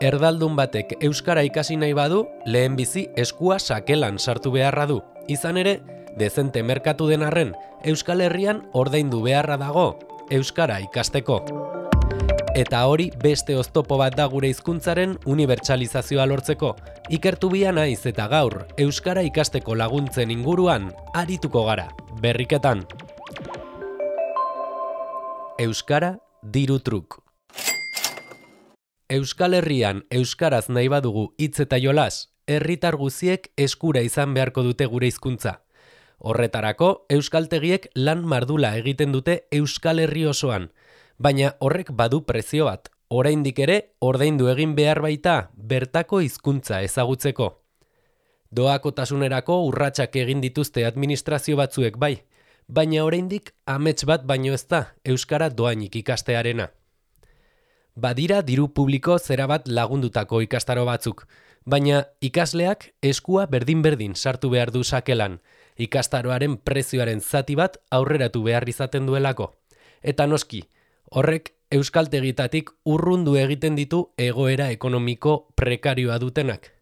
Erdaldun batek euskara ikasi nahi badu, lehenbizi eskua sakelan sartu beharra du. Izan ere, dezente merkatu den arren, Euskal Herrian ordaindu beharra dago euskara ikasteko. Eta hori beste oztopo bat da gure hizkuntzaren unibertsalizazioa lortzeko. Ikertu bia naiz eta gaur euskara ikasteko laguntzen inguruan arituko gara. Berriketan. Euskara diru truk. Euskal Herrian euskaraz nahi badugu hitz eta jolas, herritar guziek eskura izan beharko dute gure hizkuntza. Horretarako, euskaltegiek lan mardula egiten dute Euskal Herri osoan, baina horrek badu prezio bat. Oraindik ere, ordaindu egin behar baita bertako hizkuntza ezagutzeko. Doakotasunerako urratsak egin dituzte administrazio batzuek bai, baina oraindik amets bat baino ez da euskara doainik ikastearena. Badira diru publiko zerabat lagundutako ikastaro batzuk, baina ikasleak eskua berdin-berdin sartu behar du sakelan, ikastaroaren prezioaren zati bat aurreratu behar izaten duelako. Eta noski, horrek euskaltegitatik urrundu egiten ditu egoera ekonomiko prekarioa dutenak.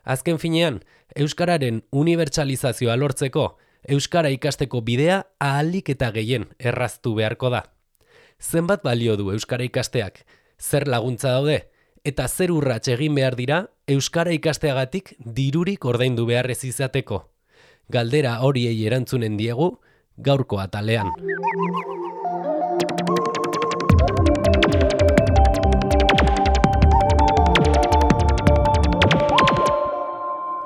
Azken finean, euskararen unibertsalizazioa lortzeko, euskara ikasteko bidea ahalik eta gehien erraztu beharko da. Zenbat balio du euskara ikasteak? Zer laguntza daude, eta zer urrats egin behar dira euskara ikasteagatik dirurik ordaindu behar ez izateko. Galdera horiei erantzunen diegu gaurko atalean.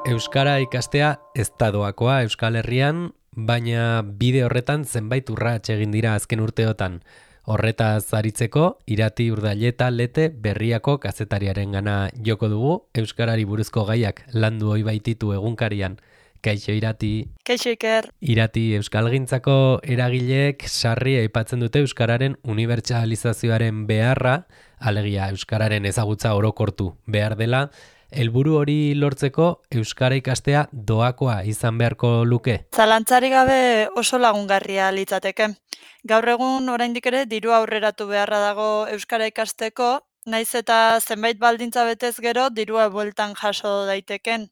Euskara ikastea ez da doakoa Euskal Herrian, baina bide horretan zenbait urrats egin dira azken urteotan. Horretaz aritzeko, Irati Urdaileta Lete Berriako kazetariarengana joko dugu, euskarari buruzko gaiak landu ohi baititu egunkarian. Kaixo Irati. Kaixo Iker. Irati, euskalgintzako eragileek sarri aipatzen dute euskararen unibertsalizazioaren beharra, alegia euskararen ezagutza orokortu behar dela. Helburu hori lortzeko euskara ikastea doakoa izan beharko luke? Zalantzarik gabe oso lagungarria litzateke. Gaur egun oraindik ere diru aurreratu beharra dago euskara ikasteko, naiz eta zenbait baldintza betez gero dirua bueltan jaso daiteken.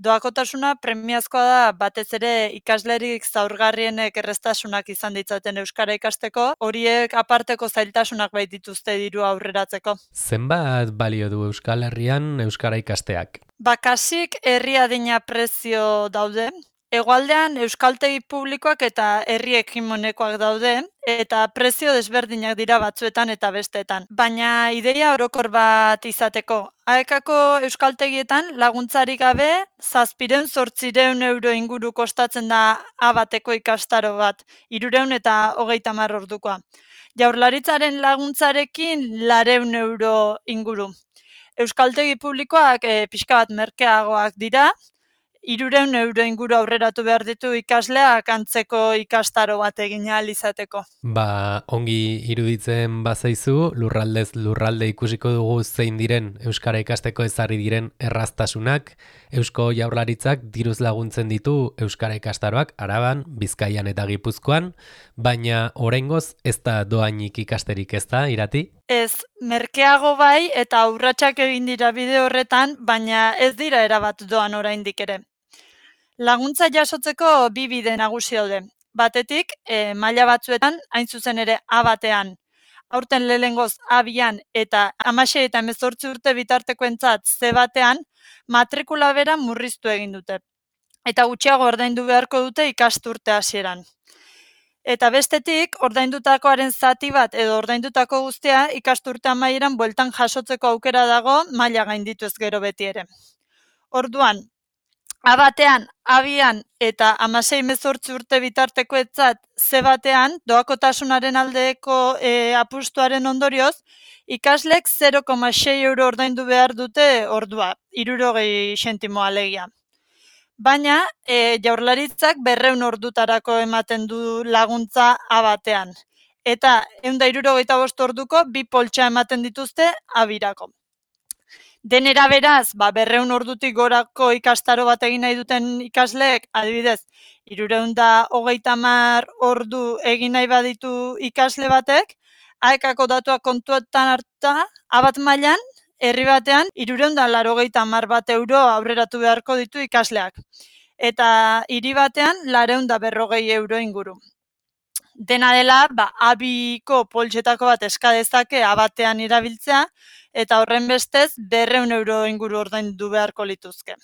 Doakotasuna premiazkoa da batez ere ikaslerik zaurgarrienek erreztasunak izan ditzaten euskara ikasteko, horiek aparteko zailtasunak baitituzte dirua aurreratzeko. Zenbat balio du Euskal Herrian euskara ikasteak? Bakasik herri adina prezio daude. Hegoaldean euskaltegi publikoak eta herri hegemonikoak daude, eta prezio desberdinak dira batzuetan eta besteetan. Baina ideia orokor bat izateko. AEKako euskaltegietan laguntzarik gabe 700-800 euro inguru kostatzen da A bateko ikastaro bat, 330 ordukoa. Jaurlaritzaren laguntzarekin 400 euro inguru. Euskaltegi publikoak pixka bat merkeagoak dira, 300 euro inguru aurreratu behar ditu ikasleak antzeko ikastaro bat egin ahal izateko. Ongi iruditzen bazaizu, lurraldez lurralde ikusiko dugu zein diren euskara ikasteko ezarri diren erraztasunak. Eusko Jaurlaritzak diruz laguntzen ditu euskara ikastaroak Araban, Bizkaian eta Gipuzkoan, baina oraingoz ez da doainik ikasterik, ez da, Irati? Ez, merkeago bai eta urratsak egin dira bide horretan, baina ez dira erabat doan oraindik ere. Laguntza jasotzeko bi bide nagusi daude. Batetik, maila batzuetan, hain zuzen ere A batean, aurten lehengoz A2an eta 16 eta 18 urte bitartekoentzat C batean, matrikula bera murriztu egin dute. Eta gutxiago ordaindu beharko dute ikasturte hasieran. Eta bestetik, ordaindutakoaren zati bat edo ordaindutako guztia ikasturte amaieran bueltan jasotzeko aukera dago maila gainditu ez gero beti ere. Orduan, A batean, A2an eta 16-18 urte bitartekoetzat C batean, doakotasunaren aldeko apustuaren ondorioz, ikaslek 0,6 euro ordaindu behar dute ordua, 60 zentimo alegia. Baina, Jaurlaritzak 200 ordutarako ematen du laguntza A batean. Eta 165 orduko 2 poltsa ematen dituzte A2rako. Denera beraz, 200 ordutik gorako ikastaro bat egin nahi duten ikasleek, adibidez, 330 ordu egin nahi baditu ikasle batek, AEKako datuak kontuetan hartuta, A bat mailan Herri batean, 380 bat euro aurreratu beharko ditu ikasleak. Eta hiri batean, 240 euro inguru. Dena dela, abiko poltsetako bat eska dezake abatean irabiltzea, eta horren bestez 200 euro inguru ordaindu beharko lituzke.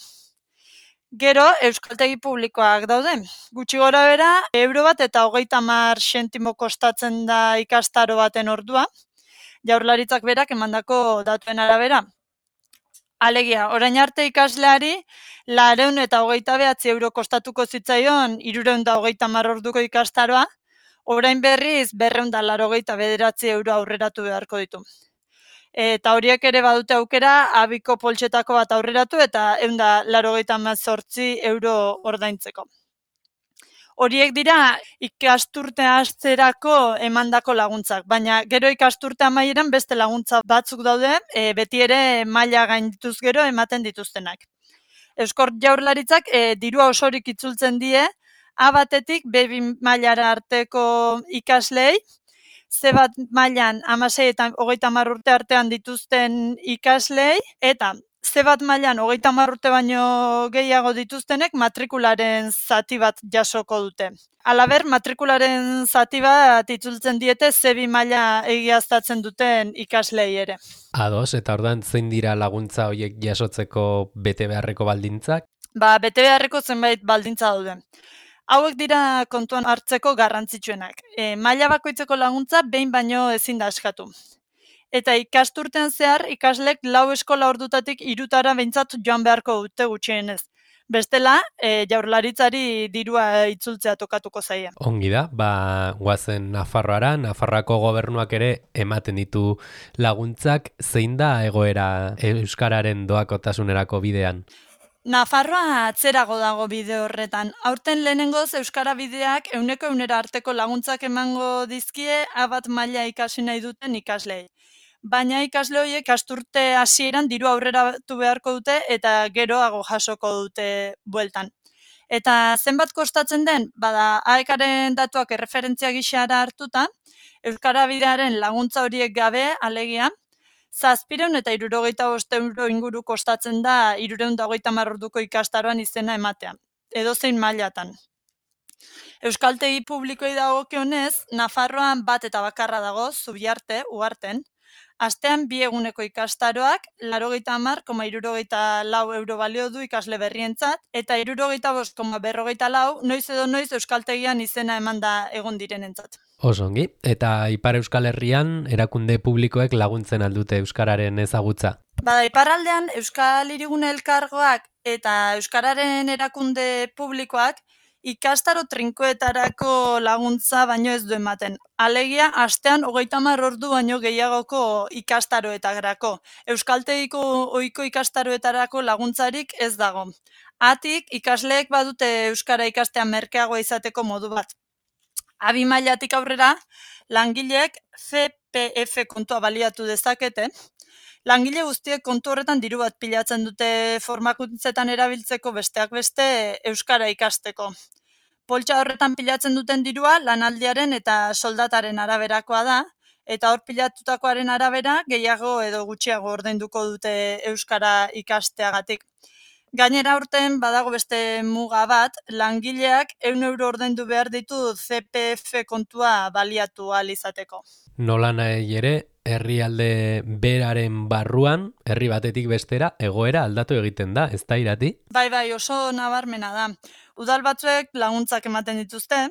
Gero, euskaltegi publikoak daude. Gutxi gora bera, euro bat eta 30 zentimo kostatzen da ikastaro baten ordua, Jaurlaritzak berak emandako datuen arabera. Alegia, orain arte ikasleari 229 euro kostatuko zitzaion 330 orduko ikastaroa, orain berriz 289 euro aurreratu beharko ditu. Eta horiek ere badute aukera abiko poltsetako bat aurreratu eta 188 euro ordaintzeko. Horiek dira ikasturte hasterako emandako laguntzak, baina gero ikasturte amaieran beste laguntza batzuk daude, beti ere maila gaindituz gero ematen dituztenak. Eusko Jaurlaritzak dirua osorik itzultzen die A batetik B2 mailara arteko ikaslei, C bat mailan 16 eta 30 urte artean dituzten ikaslei, eta C bat mailan 30 urte baino gehiago dituztenek matrikularen zati bat jasoko dute. Halaber, matrikularen zati bat itzultzen diete C2 maila egiaztatzen duten ikaslei ere. Ados, eta ordan zein dira laguntza horiek jasotzeko bete beharreko baldintzak? Bete beharreko zenbait baldintza daude. Hauek dira kontuan hartzeko garrantzitsuenak. Maila bakoitzeko laguntza behin baino ezin da eskatu. Eta ikasturtean zehar ikaslek 4 eskola ordutatik 3 behintzat joan beharko dute gutxienez. Bestela, Jaurlaritzari dirua itzultzea tokatuko zaie. Ongi da, guazen Nafarroara, Nafarroako gobernuak ere ematen ditu laguntzak, zein da egoera euskararen doakotasunerako bidean? Nafarroa atzerago dago bide horretan. Aurten lehenengoz euskara bideak 100% arteko laguntzak emango dizkie A bat maila ikasi nahi duten ikaslei. Baina ikasle horiek ikasturte hasieran diru aurreratu beharko dute eta geroago jasoko dute bueltan. Eta zenbat kostatzen den, AEKaren datuak erreferentzia gisara hartuta, euskara bidearen laguntza horiek gabe, alegia, 775 euro inguru kostatzen da 330 orduko ikastaroan izena ematea, edozein mailatan. Euskaltegi publikoei dagokionez, Nafarroan bat eta bakarra dago, Zubiarte, Ugarten, astean 2 eguneko ikastaroak 80,74 euro balio du ikasle berrientzat, eta 75,44 noiz edo noiz euskaltegian izena emanda egon direnentzat. Osongi, eta Ipar Euskal Herrian erakunde publikoek laguntzen aldute euskararen ezagutza? Iparraldean Euskal Hirigune Elkargoak eta euskararen erakunde publikoak ikastaro trinkoetarako laguntza baino ez du ematen. Alegia, astean 30 ordu baino gehiagoko ikastaroetarako. Euskaltegiko ohiko ikastaroetarako laguntzarik ez dago. Atik, ikasleek badute euskara ikastea merkeagoa izateko modu bat. A2 mailatik aurrera, langileek CPF kontua baliatu dezakete. Langile guztiek kontu horretan diru bat pilatzen dute formakuntzetan erabiltzeko besteak beste euskara ikasteko. Poltsa horretan pilatzen duten dirua lanaldiaren eta soldataren araberakoa da, eta hor pilatutakoaren arabera gehiago edo gutxiago ordainduko dute euskara ikasteagatik. Gainera aurten badago beste muga bat, langileak 100 euro ordaindu behar ditu CPF kontua baliatu ahal izateko. Nola nahi ere, herrialde beraren barruan, herri batetik bestera, egoera aldatu egiten da, ez da Irati? Bai, oso nabarmena da. Udal batzuek laguntzak ematen dituzte,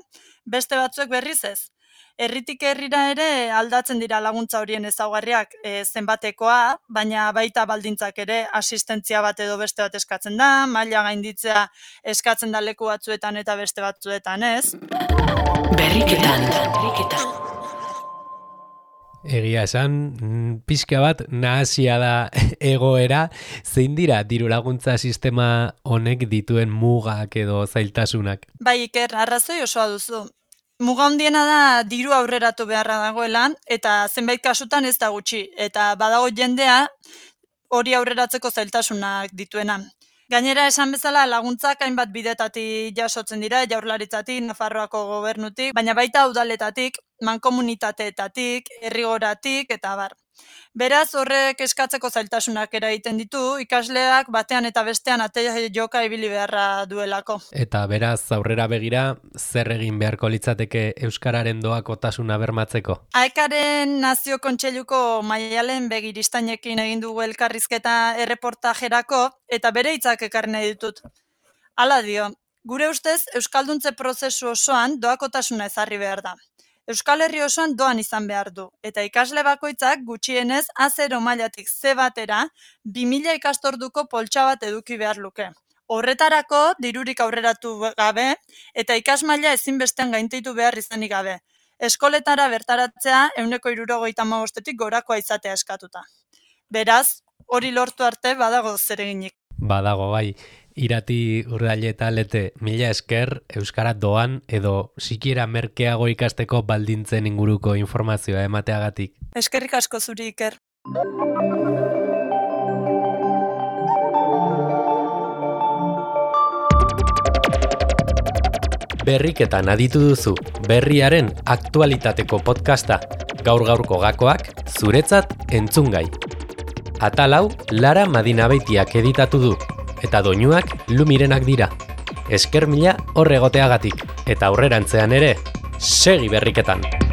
beste batzuek berriz ez. Herritik herrira ere aldatzen dira laguntza horien ezaugarriak zenbatekoa, baina baita baldintzak ere asistentzia bat edo beste bat eskatzen da, maila gainditzea eskatzen da leku batzuetan eta beste batzuetan ez. Berriketan. Egia esan, pixka bat nahasia da egoera, zein dira diru laguntza sistema honek dituen mugak edo zailtasunak? Bai, Iker, arrazoi osoa duzu. Muga handiena da diru aurreratu beharra dagoela, eta zenbait kasutan ez da gutxi, eta badago jendea hori aurreratzeko zailtasunak dituena. Gainera esan bezala laguntzak hainbat bidetatik jasotzen dira, Jaurlaritzatik, Nafarroako gobernutik, baina baita udaletatik, mankomunitateetatik, herrigoratik eta abar. Beraz, horrek eskatzeko zailtasunak eragiten ditu, ikasleak batean eta bestean ate joka ibili beharra duelako. Eta beraz, aurrera begira, zer egin beharko litzateke euskararen doakotasuna bermatzeko? AEKaren Nazio Kontseiluko Maialen Begiristainekin egin dugu elkarrizketa erreportajerako eta bere hitzak ekarri nahi ditut. Hala dio, gure ustez euskalduntze prozesu osoan doakotasuna ezarri behar da. Euskal Herri osoan doan izan behar du, eta ikasle bakoitzak gutxienez A0 mailatik C batera 2000 ikastorduko poltsa bat eduki behar luke. Horretarako dirurik aurreratu gabe eta ikasmaila ezinbestean gainditu behar izanik gabe. Eskoletara bertaratzea 175etik gorakoa izatea eskatuta. Beraz, hori lortu arte badago zereginik. Badago bai, Irati Urdaile eta Lete, mila esker euskara doan edo sikiera merkeago ikasteko baldintzen inguruko informazioa emateagatik. Eskerrik asko zuri, Iker. Berriketan aditu duzu, berriaren aktualitateko podcasta, gaur-gaurko gakoak zuretzat entzungai. Atal hau Lara Madinabeitiak editatu du, eta doinuak Lumirenak dira. Esker mila hor egoteagatik, eta aurrerantzean ere, segi berriketan!